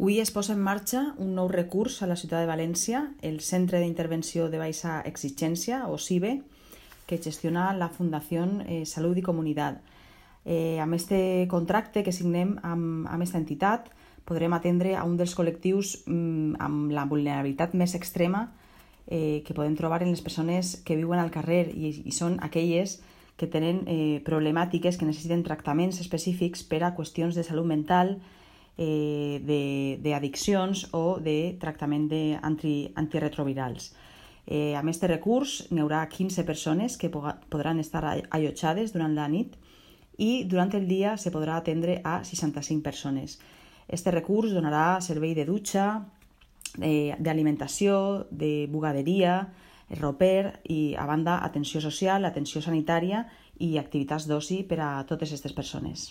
Avui es posa en marxa un nou recurs a la ciutat de València, el Centre d'Intervenció de Baixa Exigència, o CIBE, que gestiona la Fundació Salut i Comunitat. Amb aquest contracte que signem amb aquesta entitat, podrem atendre a un dels col·lectius amb la vulnerabilitat més extrema que podem trobar en les persones que viuen al carrer i són aquelles que tenen problemàtiques que necessiten tractaments específics per a qüestions de salut mental, d'addiccions o de tractament antiretrovirals. Amb aquest recurs n'hi haurà 15 persones que podran estar allotjades durant la nit i durant el dia se podrà atendre a 65 persones. Aquest recurs donarà servei de dutxa, d'alimentació, de bugaderia, roper i, a banda, atenció social, atenció sanitària i activitats d'oci per a totes aquestes persones.